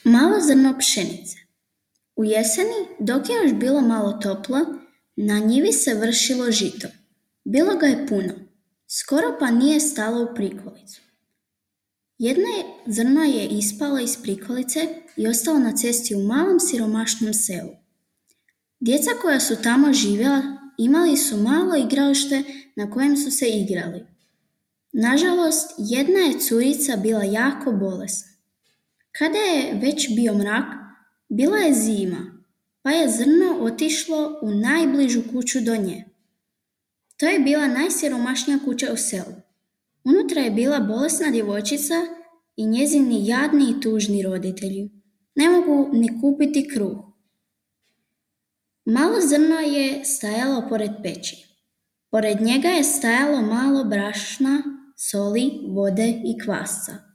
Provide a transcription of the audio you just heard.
Malo zrno pšenice. U jeseni, dok je još bilo malo toplo, na njivi se vršilo žito. Bilo ga je puno, skoro pa nije stalo u prikolicu. Jedno zrno je ispalo iz prikolice i ostalo na cesti u malom siromašnom selu. Djeca koja su tamo živjela imali su malo igralište na kojem su se igrali. Nažalost, jedna je curica bila jako bolesna. Kada je već bio mrak, bila je zima, pa je zrno otišlo u najbližu kuću do nje. To je bila najsiromašnija kuća u selu. Unutra je bila bolesna djevojčica i njezini jadni i tužni roditelji. Ne mogu ni kupiti kruh. Malo zrno je stajalo pored peći. Pored njega je stajalo malo brašna, soli, vode i kvasca.